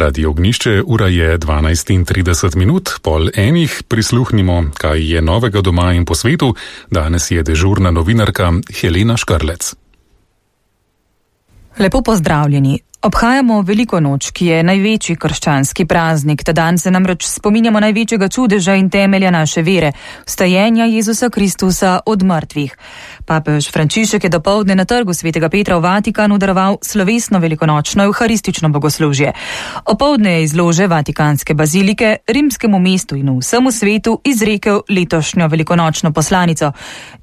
Radio Ognišče, ura je 12:30, pol enih, prisluhnimo, kaj je novega doma in po svetu. Danes je dežurna novinarka Helena Škarlec. Lepo pozdravljeni. Obhajamo Veliko noč, ki je največji krščanski praznik. Ta dan se namreč spominjamo največjega čudeža in temelja naše vere, vstajenja Jezusa Kristusa od mrtvih. Papež Frančišek je dopoldne na trgu Svetega Petra v Vatikanu daroval slovesno velikonočno evharistično bogoslužje. Opoldne je iz lože Vatikanske bazilike rimskemu mestu in vsemu svetu izrekel letošnjo velikonočno poslanico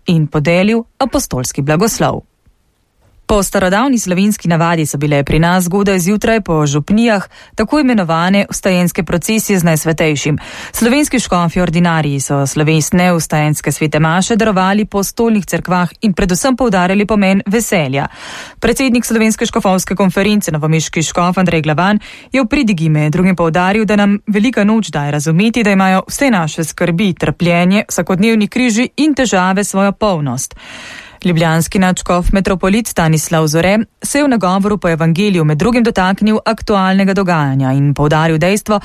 in podelil apostolski blagoslov. Po starodavni slovenski navadi so bile pri nas zgodaj zjutraj po župnijah tako imenovane vstajenske procesije z Najsvetejšim. Slovenski škofi ordinariji so slovesne vstajenske svete maše darovali po stolnih cerkvah in predvsem poudarjali pomen veselja. Predsednik Slovenske škofovske konference novomeški škof Andrej Glavan je v pridigi med drugim poudaril, da nam velika noč daje razumeti, da imajo vse naše skrbi, trpljenje, vsakodnevni križi in težave svojo polnost. Ljubljanski nadškof metropolit Stanislav Zore se je v nagovoru po evangeliju med drugim dotaknil aktualnega dogajanja in poudaril dejstvo,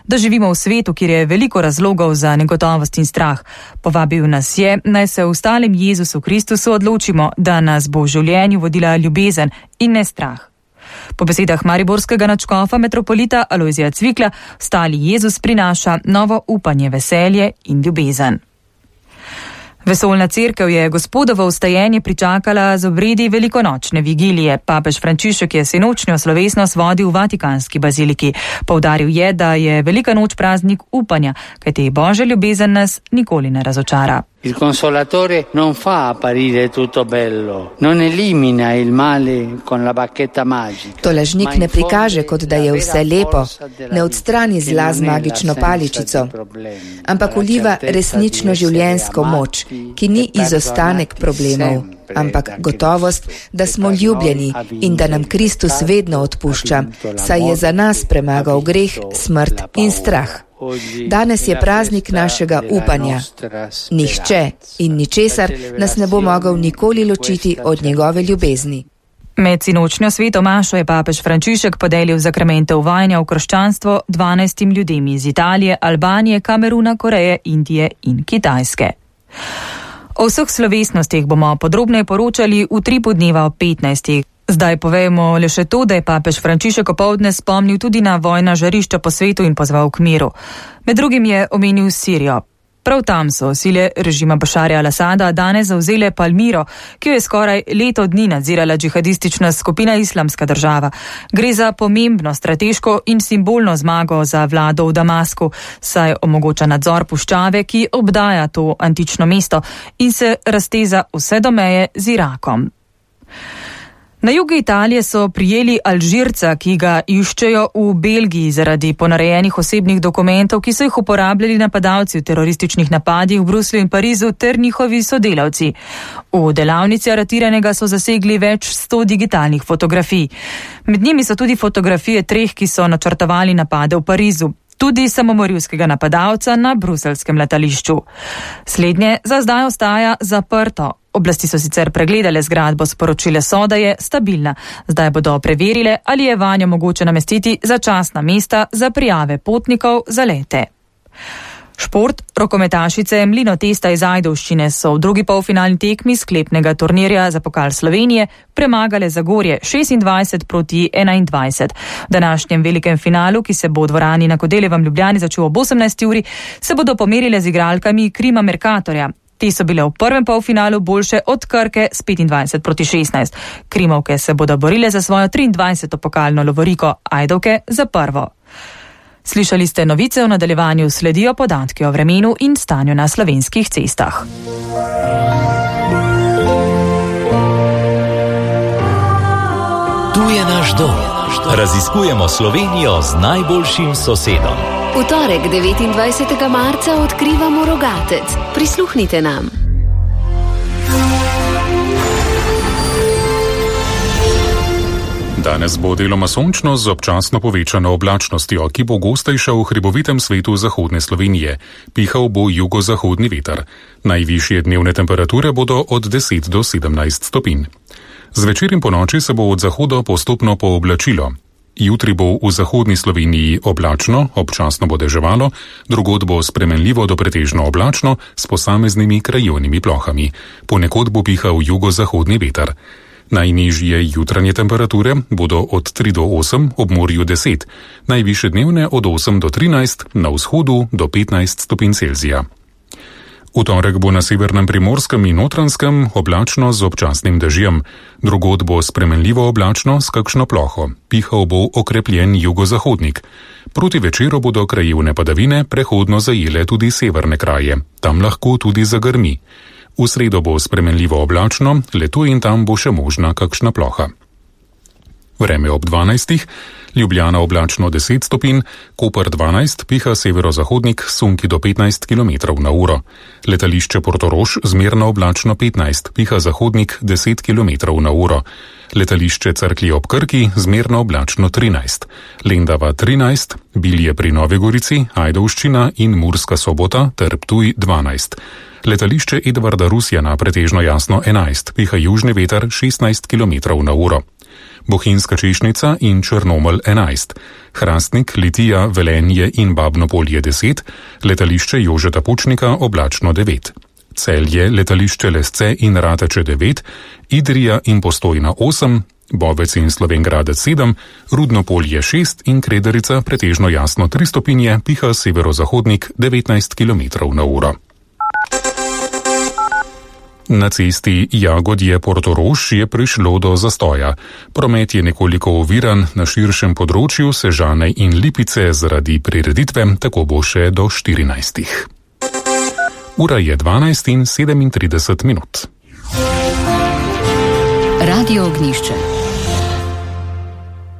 da živimo v svetu, kjer je veliko razlogov za negotovost in strah. Povabil nas je, naj se v stalem Jezusu Kristusu odločimo, da nas bo v življenju vodila ljubezen in ne strah. Po besedah mariborskega nadškofa metropolita Alojzija Cvikla, stali Jezus prinaša novo upanje, veselje in ljubezen. Vesoljna cerkev je Gospodovo vstajenje pričakala z obredi velikonočne vigilije. Papež Frančišek je sinočnjo slovesnost vodil v Vatikanski baziliki. Poudaril je, da je velika noč praznik upanja, kajti Božja ljubezen nas nikoli ne razočara. Il consolatore non fa apparire tutto bello, non elimina il male con la bacchetta magica. Tolažnik ne prikaže, kot da je vse lepo, ne odstrani zla z magično paličico, ampak vliva resnično življenjsko moč, ki ni izostanek problemov, ampak gotovost, da smo ljubljeni in da nam Kristus vedno odpušča, saj je za nas premagal greh, smrt in strah. Danes je praznik našega upanja. Nihče in ničesar nas ne bo mogel nikoli ločiti od njegove ljubezni. Med sinočnjo sveto mašo je papež Frančišek podelil zakramente uvajanja v krščanstvo 12 ljudem iz Italije, Albanije, Kameruna, Koreje, Indije in Kitajske. O vseh slovesnostih bomo podrobneje poročali v tripu dneva ob 15. Zdaj povejmo le še to, da je papež Frančišek opoldne spomnil tudi na vojna žarišča po svetu in pozval k miru. Med drugim je omenil Sirijo. Prav tam so sile režima Bašarja al-Asada danes zavzele Palmiro, ki jo je skoraj leto dni nadzirala džihadistična skupina Islamska država. Gre za pomembno strateško in simbolno zmago za vlado v Damasku, saj omogoča nadzor puščave, ki obdaja to antično mesto in se razteza vse do meje z Irakom. Na jugu Italije so prijeli Alžirca, ki ga iščejo v Belgiji zaradi ponarejenih osebnih dokumentov, ki so jih uporabljali napadalci v terorističnih napadih v Bruslju in Parizu ter njihovi sodelavci. V delavnici aretiranega so zasegli več 100 digitalnih fotografij. Med njimi so tudi fotografije 3, ki so načrtovali napade v Parizu. Tudi samomorilskega napadalca na bruseljskem letališču. Slednje za zdaj ostaja zaprto. Oblasti so sicer pregledale zgradbo, sporočile so, da je stabilna. Zdaj bodo preverile, ali je vanjo mogoče namestiti začasna mesta za prijave potnikov za lete. Šport. Rokometašice Mlinotesta iz Ajdovščine so v drugi polfinalni tekmi sklepnega turnirja za pokal Slovenije premagale Zagorje 26-21. V današnjem velikem finalu, ki se bo v dvorani na Kodeljevem Ljubljani začel ob 18. uri, se bodo pomerile z igralkami Krima Mercatorja. Te so bile v prvem polfinalu boljše od Krke s 25-16. Krimovke se bodo borile za svojo 23. pokalno lovoriko, Ajdovke za prvo. Slišali ste novice, v nadaljevanju sledijo podatki o vremenu in stanju na slovenskih cestah. Tu je naš dom. Raziskujemo Slovenijo z najboljšim sosedom. V torek 29. marca odkrivamo Rogatec. Prisluhnite nam. Danes bo deloma sončno z občasno povečano oblačnostjo, ki bo gostejša v hribovitem svetu zahodne Slovenije. Pihal bo jugozahodni veter. Najvišje dnevne temperature bodo od 10 do 17 stopinj. Zvečer in ponoči se bo od zahoda postopno pooblačilo. Jutri bo v zahodni Sloveniji oblačno, občasno bo deževalo, drugod bo spremenljivo do pretežno oblačno s posameznimi krajevnimi plohami. Ponekod bo pihal jugozahodni veter. Najnižje jutranje temperature bodo od 3 do 8, ob morju 10, najvišje dnevne od 8 do 13, na vzhodu do 15 stopinj Celzija. V torek bo na severnem Primorskem in Notranjskem oblačno z občasnim dežjem. Drugod bo spremenljivo oblačno s kakšno ploho. Pihal bo okrepljen jugozahodnik. Proti večeru bodo krajevne padavine prehodno zajele tudi severne kraje. Tam lahko tudi zagrmi. V sredo bo spremenljivo oblačno, le tu in tam bo še možna kakšna ploha. Vreme ob 12. Ljubljana oblačno 10 stopinj, Koper 12, piha severozahodnik, sunki do 15 km na uro. Letališče Portorož zmerno oblačno 15, piha zahodnik 10 km na uro. Letališče Cerklje ob Krki zmerno oblačno 13. Lendava 13, Bilje pri Novi Gorici, Ajdovščina in Murska Sobota ter Ptuj 12. Letališče Edvarda Rusjana pretežno jasno 11, piha južni veter 16 km na uro. Bohinjska Češnica in Črnomelj 11, Hrastnik, Litija, Velenje in Babnopolje 10, letališče Jožeta Pučnika oblačno 9. Celje, letališče Lesce in Rateče 9, Idrija in Postojna 8, Bovec in Slovengradec 7, Rudnopolje 6 in Krederica pretežno jasno 3 stopinje, piha severozahodnik 19 km na uro. Na cesti Jagodje-Portorož je prišlo do zastoja. Promet je nekoliko oviran, na širšem področju Sežane in Lipice zaradi prireditve, tako bo še do 14. Ura je 12:37. Radio Ognjišče.